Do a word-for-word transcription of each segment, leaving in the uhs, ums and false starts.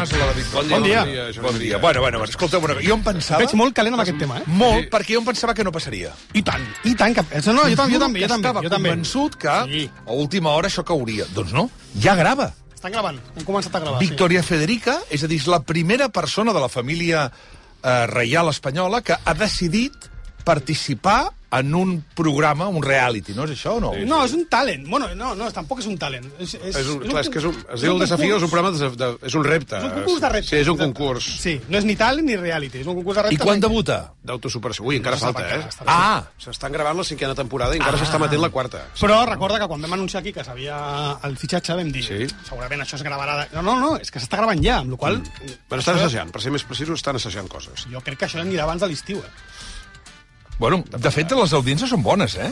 Mas, la de Victòria. Bon dia. Bon dia. Bon dia. Bueno, bueno, bueno, escolta'm una cosa. Jo em pensava... Veig molt calent amb aquest tema, eh? Molt, perquè jo em pensava que no passaria. I tant, i tant. Que... No, jo també, jo també, jo també. Estava jo també. convençut que Sí. a última hora això cauria. Doncs no, ja grava. Estan gravant, hem començat a gravar. Victòria Federica, és a dir, és la primera persona de la família eh, reial espanyola que ha decidit participar en un programa, un reality, no és això o no? Sí. No, és un talent. Bueno, no, no, tampoc és un talent. És, és, És un, és clar, és que és un, es diu el desafío, és un programa, de, de, és un repte. És un concurs de reptes. Sí, és un exacte. concurs. Sí, no és ni talent ni reality, és un concurs de reptes. I quan debuta? D'autosuperació. Ui, encara No se falta, sap eh? encara, està Ah! S'estan gravant la cinquena temporada i encara s'està matent la quarta. Però recorda que quan vam anunciar aquí que s'havia el fitxatge vam dir, Sí. segurament això es gravarà... De... No, no, no, és que s'està gravant ja, amb la qual cosa... Mm. Però estan assajant, per ser més precisos, estan assajant coses. Jo crec que això anirà abans de l'estiu, eh? Bueno, de fet, les audiències són bones, eh?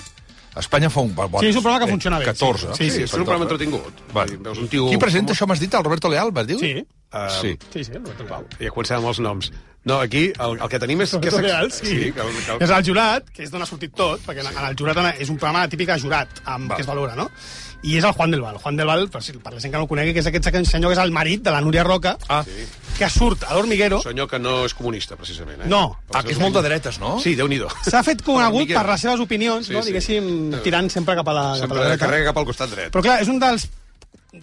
Espanya fa un... Bon, Sí, és un programa que funciona bé, catorze. sí. Sí, sí, és un programa entretingut. Vale. Veus un tio... Qui presenta això, m'has dit? El Roberto Leal, vas dir? Sí. Uh, Sí. Sí, sí, el Roberto Leal. Ja comencem amb els noms. No, aquí el, el que tenim és... Roberto que Leal, sí. sí que, el, que, És el jurat, que és d'on ha sortit tot, perquè en el jurat és un programa típic de jurat, amb, Val. que es valora, no? I és el Juan del Val. Juan del Val, per, si, per la gent que no el conegui, que és aquest senyor que és el marit de la Núria Roca, Ah, sí. que surt a l'Hormiguero. senyor que no és comunista, precisament. Eh? No. ah, que és molt de dretes, no? Sí, Déu-n'hi-do. S'ha fet conegut Hormiguero. per les seves opinions, Sí, no? sí. Diguéssim, tirant sempre cap a la, cap a la Sempre dreta. carrega cap al costat dret. Però clar, és un dels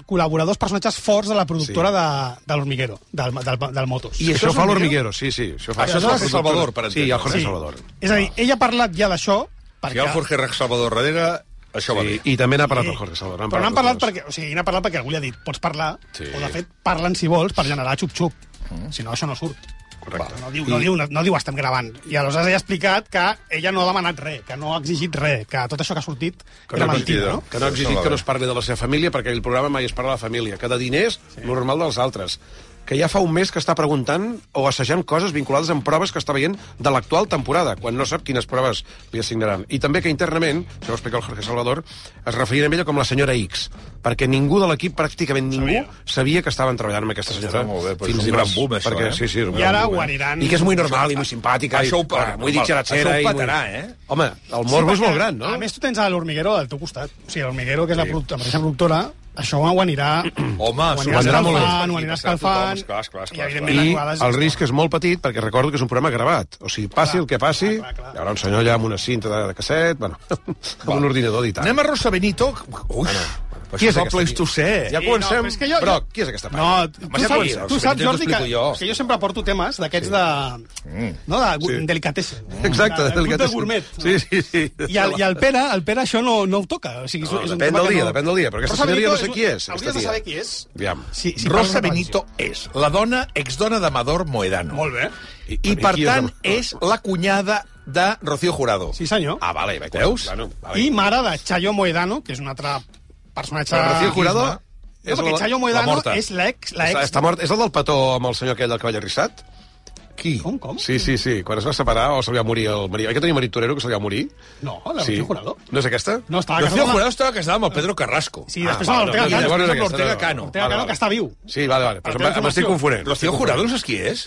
col·laboradors, personatges forts de la productora sí. de, de l'Hormiguero, del, del, del Motos. I Això és fa Hormiguero? l'Hormiguero, sí, sí. Això, fa... Això és Jorge Salvador, per Sí, entendre. el Jorge Sí. Salvador. És a dir, ell ha parlat ja d'això, Si perquè... hi ha el Jorge Salvador darrere, això va bé. Sí, i també n'ha parlat Sí. el Jorge Salvador. Però n'han parlat tots dos. perquè, o sigui, n'ha parlat perquè algú li ha dit, pots parlar, Sí. o de fet, parlen si vols per generar xup-xup. Mm. Si no, això no surt. Correcte. No diu, no, diu, no, no diu estem gravant. I aleshores ella ha explicat que ella no ha demanat res, que no ha exigit res, que tot això que ha sortit Que era no, mentida, no? que no ha exigit que no es parli de la seva família, perquè el programa mai es parla de la família, que de diners, sí. normal dels altres. Que ja fa un mes que està preguntant o assajant coses vinculades amb proves que està veient de l'actual temporada, quan no sap quines proves li assignaran. I també que internament, això ho explica el Jorge Salvador, es referien a ella com la senyora X, perquè ningú de l'equip, pràcticament ningú, sabia, sabia que estaven treballant amb aquesta senyora. Està molt bé, però és un dimarts. gran boom, això, perquè, eh? Sí, sí, és un I gran ara boom, ho eh? aniran... I que és molt normal i molt simpàtica. Això ho i, pa- muy normal. dicharachera. Això ho i patarà, muy... eh? Home, el morbo és molt gran, no? A més, tu tens a l'Hormiguero al teu costat. O sigui, l'Hormiguero, que és la, product la mateixa productora, això ho anirà... Home, ho anirà s'ho vendrà molt bé. escalfant, ho anirà escalfant... Esclar, esclar, esclar, I, evidentment, I les jugades... el risc és molt petit, perquè recordo que és un programa gravat. O sigui, passi Clar, el que passi, clar, clar, clar. hi haurà un senyor allà amb una cinta de, de casset, bueno, amb un ordinador editant. Anem a Rosa Benito. Ui, Qui és el aquesta? Pleistocè? Ja Sí, comencem. no, però és que jo- Broc, jo- qui és aquesta No, part? tu, Home, ja saps, podria, tu si saps, t'ho Jordi, que, explico jo. que jo sempre porto temes d'aquests de... No, de Sí. delicatessen. Exacte, de, de de, de delicatessen. gourmet. No? Sí, sí, sí. I el, I el Pere, el Pere això no, no ho toca. O sigui, és, No, és un depèn tema del que dia, no... depèn del dia, però aquesta Rosa senyora jo no Benito sé qui és, Hauries aquesta de tia. saber qui és. Aviam. Si, si Rosa parles de Benito és la dona, exdona d'Amador Moedano. Molt bé. I, I, per qui és tant, el- és la cunyada de Rocío Jurado. Sí, senyor. Ah, vale, vaig. Veus? Bueno, vale. I mare de Chayo Moedano, que és un altre personatge... Però Rocío Jurado... No, perquè Chayo Moedano morta. és l'ex... Està, l'ex... està mort. És el del petó amb el senyor aquell del cavall arrissat? Qui? Com, com? Sí, sí, sí. Quan es va separar o se li va morir el marit. Oi que tenia marit torero que se li va morir? No, la Sí. Rocío Jurado. No és aquesta? No, estava Rocío casada amb... Jurado estava casada amb el Pedro Carrasco. Sí, després Ah, amb vale, l'Ortega no, Cano. llavors Després és amb aquesta, l'Ortega no. Cano. Ortega Vale, Cano, vale. que està viu. Sí, vale, vale. Però Per em- m'estic informació. confonent. Rocío Jurado, no saps qui és?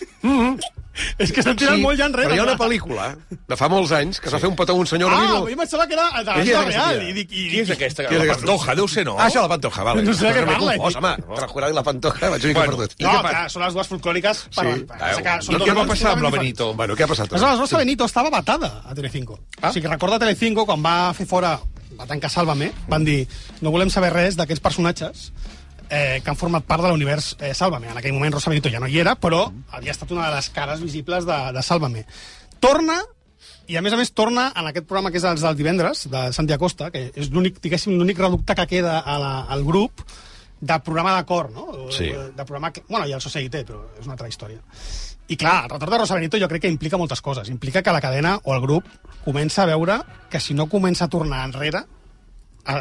És que estan tirant molt ja enrere. però hi ha una clar. pel·lícula de fa molts anys que es va fer un petó a un senyor... Ah, horrible. jo em pensava que era de la Qui és vida aquesta real. tia? I dic, i, Qui és aquesta? Qui és La aquesta? Pantoja, deu ser, no? Ah, això, la Pantoja, vale. No sé de què M'he parla. confós, home. La Jurado i la Pantoja, vaig una mica Bueno, perdut. I No, què clar, són les dues folclòriques. Per, Sí. per, Ah, que són I dos què va mons passar amb la diferents. Benito? Bueno, què ha passat? Aleshores, Rosa Benito estava vetada a Telecinco. Ah. O sigui, recorda Telecinco, quan va fer fora, va tancar Sálvame, van dir, no volem saber res d'aquests personatges eh, que han format part de l'univers eh, Sálvame. En aquell moment Rosa Benito ja no hi era, però havia estat una de les cares visibles de, de Sálvame. Torna, i a més a més torna en aquest programa que és els del divendres, de Santi Acosta, que és l'únic, diguéssim, l'únic reducte que queda a la, al grup de programa de cor, no? Sí. De programa que, bueno, i el Societé, però és una altra història. I clar, el retorn de Rosa Benito jo crec que implica moltes coses. Implica que la cadena o el grup comença a veure que si no comença a tornar enrere, a,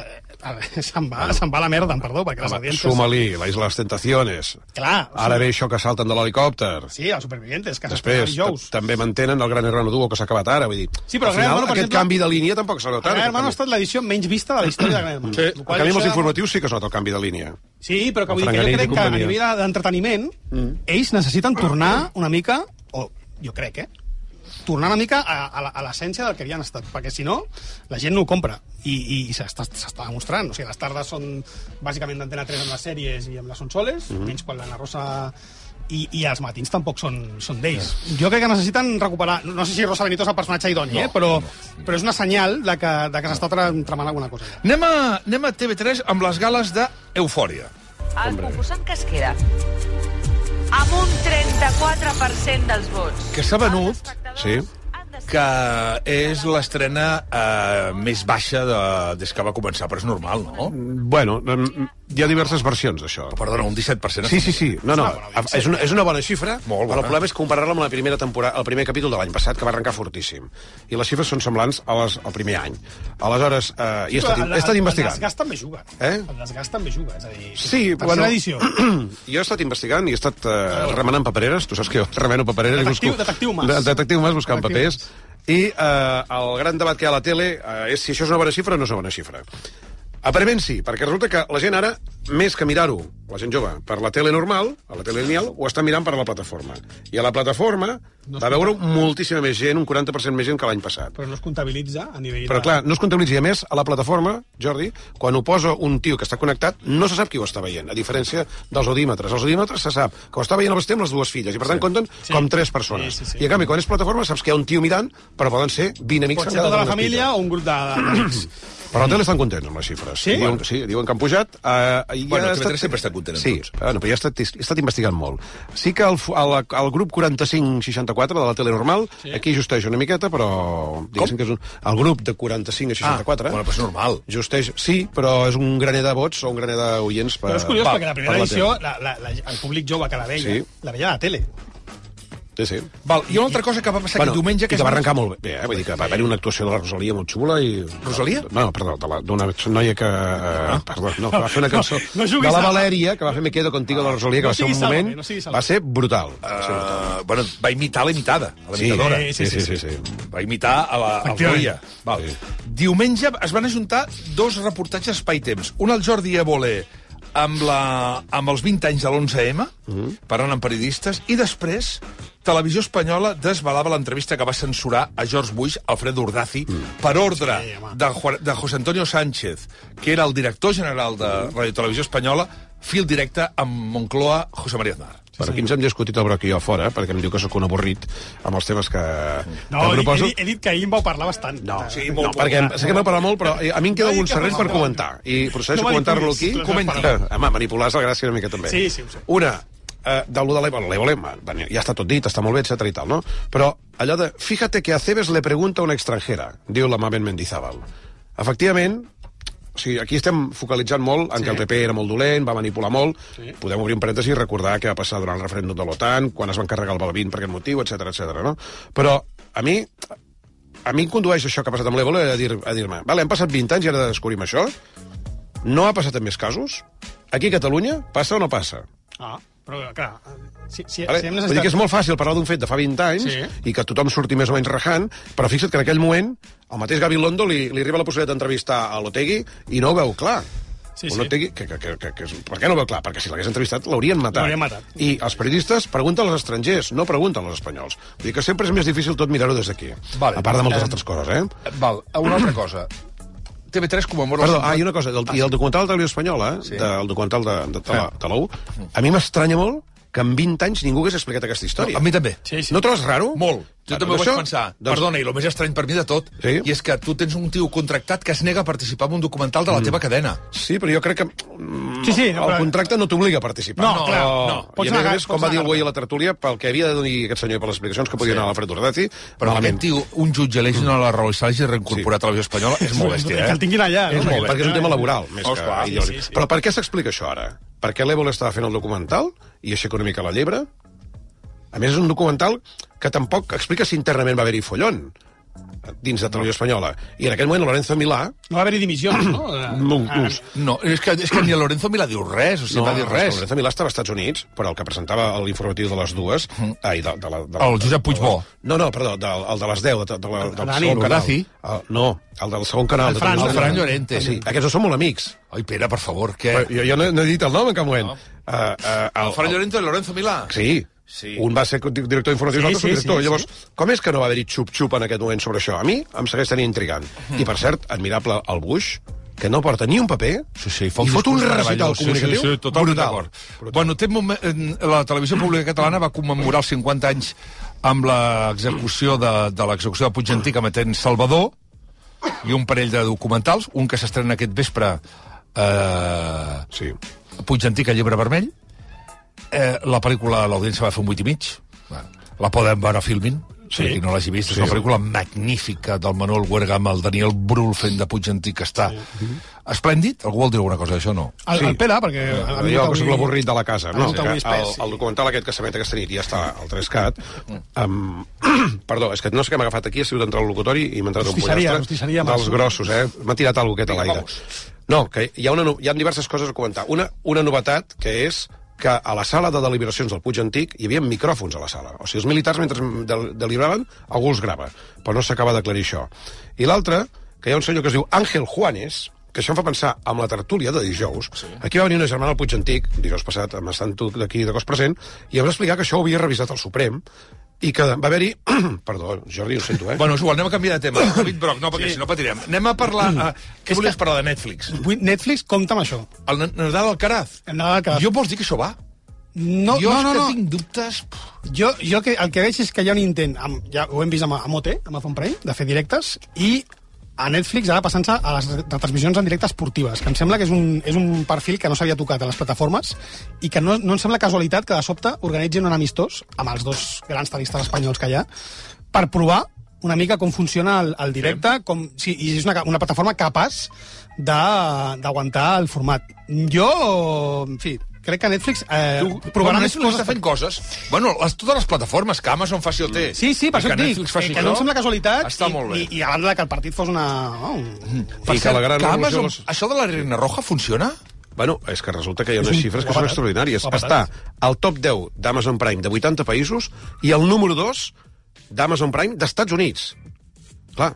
a, se'n va, se'n va a la merda, em perdó, perquè les Home, audiències... Súmali, la Isla de les Tentaciones. Clar, o Ara sigui- ve això que salten de l'helicòpter. Sí, els supervivientes, que Després, dijous. t- també mantenen el Gran Hermano Duo que s'ha acabat ara, vull dir... Sí, però al Gran final, Hermano, per aquest exemple- canvi de línia tampoc s'ha notat. Gran aquest Hermano ha canvi. estat l'edició menys vista de la història de Gran Hermano. Sí, El en qual canvi, amb els això- informatius sí que es nota el canvi de línia. Sí, però que vull dir que jo Franganell i crec que a companyia. nivell d'entreteniment mm. ells necessiten tornar una mica, o jo crec, eh? tornar una mica a, a, a l'essència del que havien estat, perquè si no, la gent no ho compra. I, i, i s'està demostrant. O sigui, les tardes són bàsicament d'Antena tres amb les sèries i amb les consoles, mm-hmm. menys quan l'Anna Rosa... I, i els matins tampoc són, són d'ells. Jo crec que necessiten recuperar... No sé si Rosa Benito és el personatge idoni, no, eh? però, no. però és una senyal de que, de que s'està tramant alguna cosa. Anem a, anem a T V tres amb les gales d'Eufòria. El concursant que es queda amb un trenta-quatre per cent dels vots. Que s'ha venut... Sí. que és l'estrena eh, més baixa de, des que va començar, però és normal, no? Bueno, hi ha diverses versions d'això. Perdona, un disset per cent. Sí, sí, sí. No, no, és una, és una bona xifra, Molt bona. Però el problema és comparar-la amb la primera temporada, el primer capítol de l'any passat, que va arrencar fortíssim. I les xifres són semblants a les, al primer any. Aleshores, eh, he estat, he estat investigant. El desgast també juga. Eh? El desgast també juga, és a dir... Sí, bueno... edició. Jo he estat investigant i he estat eh, remenant papereres. Tu saps que jo remeno papereres. Detectiu, busco... detectiu Mas. Detectiu Mas buscant Detectiu papers. I eh, el gran debat que hi ha a la tele eh, és si això és una bona xifra o no és una bona xifra. Aparentment sí, perquè resulta que la gent ara, més que mirar-ho, la gent jove, per la tele normal, a la tele lineal, ho està mirant per la plataforma. I a la plataforma no va veure moltíssima més gent, un quaranta per cent més gent que l'any passat. Però no es comptabilitza a nivell... Però de... clar, no es comptabilitza. I a més, a la plataforma, Jordi, quan ho posa un tio que està connectat, no se sap qui ho està veient, a diferència dels audímetres. Els audímetres se sap que ho està veient el bestem les dues filles, i per tant sí. compten sí. com tres persones. Sí, sí, sí. I a canvi, quan és plataforma, saps que hi ha un tio mirant, però poden ser vint amics. Pot ser tota la família o un grup d'amics. Però a la tele estan contents amb les xifres. Sí? Diuen, sí, diuen que han pujat. Uh, bueno, el T V tres sempre està content amb sí, tots. Bueno, però ja he estat, he estat investigant molt. Sí que el, el, el grup quaranta-cinc seixanta-quatre de la tele normal, sí. aquí justeix una miqueta, però... Diguéssim que és un, el grup de quaranta-cinc a seixanta-quatre... Ah, bueno, però és normal. Justeix, sí, però és un graner de vots o un graner d'oients per... Però és curiós, per, perquè la primera edició, la, la, la, el públic jove que la veia, sí. la veia a la tele. Sí, sí. Val, hi ha una altra cosa que va passar bueno, aquest diumenge... Que, que va arrencar molt bé, eh? Vull dir que va haver una actuació de la Rosalia molt xula i... Rosalia? No, perdó, d'una noia que... Ah. Eh, perdó, no, que va fer una cançó no, no de la Valèria, que va fer Me quedo contigo de la Rosalia, que no va ser un moment... No va ser brutal. Uh, va ser brutal. Bueno, va imitar la imitada, a la imitadora. Sí, sí, sí. sí, sí, sí. Va imitar a la Rosalia. Val. Sí. Diumenge es van ajuntar dos reportatges Espai-Temps. Un al Jordi Évole amb, la, amb els vint anys de l'onze eme, uh-huh. parlant amb periodistes, i després Televisió Espanyola desvelava l'entrevista que va censurar a George Bush, Alfredo Urdaci, mm. per ordre sí, de, de José Antonio Sánchez, que era el director general de Radio Televisió Espanyola, fil directe amb Moncloa, José María Aznar. Sí, per aquí ens hem discutit el broc i jo fora, perquè em diu que sóc un avorrit amb els temes que, no, que proposo. He, he dit que ahir em vau parlar bastant. No, sí, molt, no perquè em, sé que m'ha parlat molt, però a mi em queda algun serrell per comentar. I procedeixo no a comentar-lo aquí. Comenti. Home, manipular és la gràcia una mica també. Sí, sí, ho sé. Una, Uh, de lo de l'Évole, l'Évole ja està tot dit, està molt bé, etcètera i tal, no? Però allò de, fíjate que a Cebes le pregunta a una extranjera, diu la Mamen Mendizábal. Efectivament, o sigui, aquí estem focalitzant molt en sí. que el P P era molt dolent, va manipular molt, sí. podem obrir un parèntesi i recordar què va passar durant el referèndum de l'OTAN, quan es van carregar el Balbín per aquest motiu, etcètera etcètera, no? Però a mi, a mi em condueix això que ha passat amb l'Évole a dir-me, a dir vale, han passat vint anys i ara descobrim això, no ha passat en més casos? Aquí a Catalunya passa o no passa? Ah, però clar, si, si, vale. si hem necessitat... Vull dir que és molt fàcil parlar d'un fet de fa vint anys sí. i que tothom surti més o menys rajant, però fixa't que en aquell moment el mateix Gabilondo li, li arriba la possibilitat d'entrevistar a l'Otegui i no ho veu clar. Sí, sí. Otegui, que, que, que, que, que, per què no ho veu clar? Perquè si l'hagués entrevistat l'haurien matat. matat. I els periodistes pregunten als estrangers, no pregunten als espanyols. Vull dir que sempre és més difícil tot mirar-ho des d'aquí. Vale. A part de moltes eh, altres coses, eh? Val, una altra cosa. T V tres comemora... Perdó, ah, i una cosa, del, i el documental de Televisió Espanyola, sí. del documental de, de, de, de, de l'U, a mi m'estranya molt que en vint anys ningú hagués explicat aquesta història. No, a mi també. Sí, sí. No trobes raro? Molt. Jo també ho vaig pensar. Doncs... Perdona, i el més estrany per mi de tot, sí? I és que tu tens un tio contractat que es nega a participar en un documental de la mm. teva cadena. Sí, però jo crec que mm, sí, sí, el però... contracte no t'obliga a participar. No, no clar, no. I a més a més, com va dir el Güell a la tertúlia, pel que havia de dir aquest senyor i per les explicacions que podia sí. anar a l'Alfred Urdaci... Però aquest tio, un jutge l'eix a la raó i s'hagi reincorporat sí. a Televisió Espanyola, és molt bèstia, eh? Que el tinguin allà. És no? molt bèstia, perquè és un tema laboral, més oh, que clar, ideològic. Sí, sí, sí. Però per què s'explica això ara? Per què l'Évole estava fent el documental i aixeca una mica la llebre? A més, és un documental que tampoc explica si internament va haver-hi follon dins de Televisió Espanyola. I en aquell moment Lorenzo Milà... No va haver-hi dimissions, no? No, no és, que, és que ni Lorenzo Milà diu res, o sigui, no, va dir res. Lorenzo Milà estava als Estats Units, però el que presentava l'informatiu de les dues... Mm. Ai, de, de la, de la, el Josep Puigbó. No, no, perdó, del, el de les deu, de, de la, del Dani, segon canal. El, no, el del segon canal. El Fran, el Fran Llorente. Sí, aquests no són molt amics. Ai, Pere, per favor, què? Jo, jo no, no he dit el nom en cap moment. No. Uh, uh, el, el Fran Llorente i Lorenzo Milà? Sí. Sí. Un va ser director d'informació i Sí, l'altre sí, subdirector. sí, Llavors, sí. com és que no va haver-hi xup-xup en aquest moment sobre això? A mi em segueix tenint intrigant. Mm. I, per cert, admirable el Bush, que no porta ni un paper Sí, sí, i fot un discurs recital meravellós. comunicatiu sí, sí, sí, totalment brutal. d'acord. Brutal. Bueno, té un moment, la televisió pública catalana va commemorar els cinquanta anys amb l'execució de, de l'execució de Puig Antic emetent Salvador i un parell de documentals, un que s'estrena aquest vespre, eh, Sí. Puig Antic a Llibre Vermell. Eh, la pel·lícula, l'audiència va fer un vuit i mig. La podem veure a Filmin, sí. Si no l'hagi vist. És Sí. una pel·lícula magnífica del Manuel Huerga amb el Daniel Brühl fent de Puig Antic, que està sí. esplèndid. Algú vol dir alguna cosa d'això, no? El, Sí. el Pere, perquè... Jo, ha que vingut soc avui- l'avorrit de la casa. ha No, vingut que avui el, espès, sí. el documental aquest que s'emet aquesta nit ja està al Trescat. Um, perdó, és que no sé què m'ha agafat aquí, ha sigut entrar al locutori i m'ha entrat un Rostisseria, pollastre rostisseria dels Masso. grossos, eh? M'ha tirat alguna cosa a Vinga, l'aire. No, que hi ha, una, no- hi ha diverses coses a comentar. Una, una novetat, que és que a la sala de deliberacions del Puig Antic hi havia micròfons a la sala. O sigui, els militars, mentre del- deliberaven, algú els grava. Però no s'acaba d'aclarir això. I l'altre, que hi ha un senyor que es diu Àngel Juanes, que això em fa pensar amb la tertúlia de dijous. Sí. Aquí va venir una germana al Puig Antic, dijous passat, amb estant tu d'aquí de cos present, i em va explicar que això ho havia revisat el Suprem, i que va haver-hi... Perdó, Jordi, ho sento, eh? Bueno, és igual, anem a canviar de tema. David Broc, no, perquè sí. si no patirem. Anem a parlar... Uh, què volies parlar de Netflix? Vull- Netflix, compta amb això. El Na- Nadal Alcaraz. El Nadal Alcaraz. Jo vols dir que això va? No, jo no, és no, que no. tinc dubtes... Jo, jo que, el que veig és que hi ha un intent, amb, ja ho hem vist amb, amb O T, amb Amazon Prime, de fer directes, i a Netflix ara passant-se a les retransmissions en directe esportives, que em sembla que és un, és un perfil que no s'havia tocat a les plataformes i que no, no em sembla casualitat que de sobte organitzin un amistós amb els dos grans tenistes espanyols que hi ha per provar una mica com funciona el, el directe, sí. com, sí, i és una, una plataforma capaç d'aguantar el format. Jo, en fi, crec que Netflix eh, provarà més Netflix està fent coses. Bueno, les, totes les plataformes, que Amazon faci O T. Sí, sí, per i això que et dic, Netflix faci que no em això, sembla casualitat està i, molt bé. i, i a banda de que el partit fos una... Oh, un... Per I que cert, la gran que revolució Amazon, les- això de la Reina Roja funciona? Bueno, és que resulta que hi ha És unes un xifres que guapatat. són extraordinàries. Guapatat. Està al top deu d'Amazon Prime de vuitanta països i el número dos d'Amazon Prime d'Estats Units. Clar,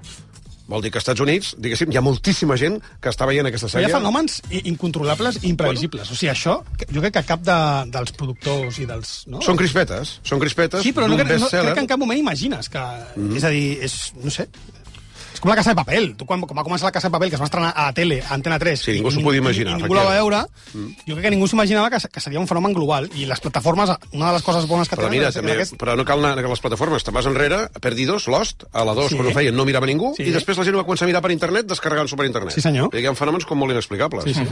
vol dir que als Estats Units, diguéssim, hi ha moltíssima gent que està veient aquesta Però hi sèrie. ha fenòmens i- incontrolables i imprevisibles. O sigui, això, que- jo crec que cap de, dels productors i dels... No? Són crispetes, són crispetes Sí, però no, d'un crec- no, best-seller. crec que en cap moment imagines que... Mm. És a dir, és... no sé... És com la Casa de Papel. Tu, quan, quan va començar la Casa de Papel, que es va estrenar a la tele, a Antena tres... Sí, ningú i- s'ho i- podia imaginar, I, i ningú la va veure. Mm. Jo crec que ningú s'imaginava que, que seria un fenomen global. I les plataformes, una de les coses bones que Però tenen... mira, és- és també, aquest- però no cal anar a les plataformes. Te'n vas enrere, a Perdidos, Lost, a la dos, Sí. quan ho feien, no mirava ningú, Sí. i després la gent ho va començar a mirar per internet, descarregant-s'ho per internet. Sí, senyor. I hi ha fenòmens com molt inexplicables. Sí, sí.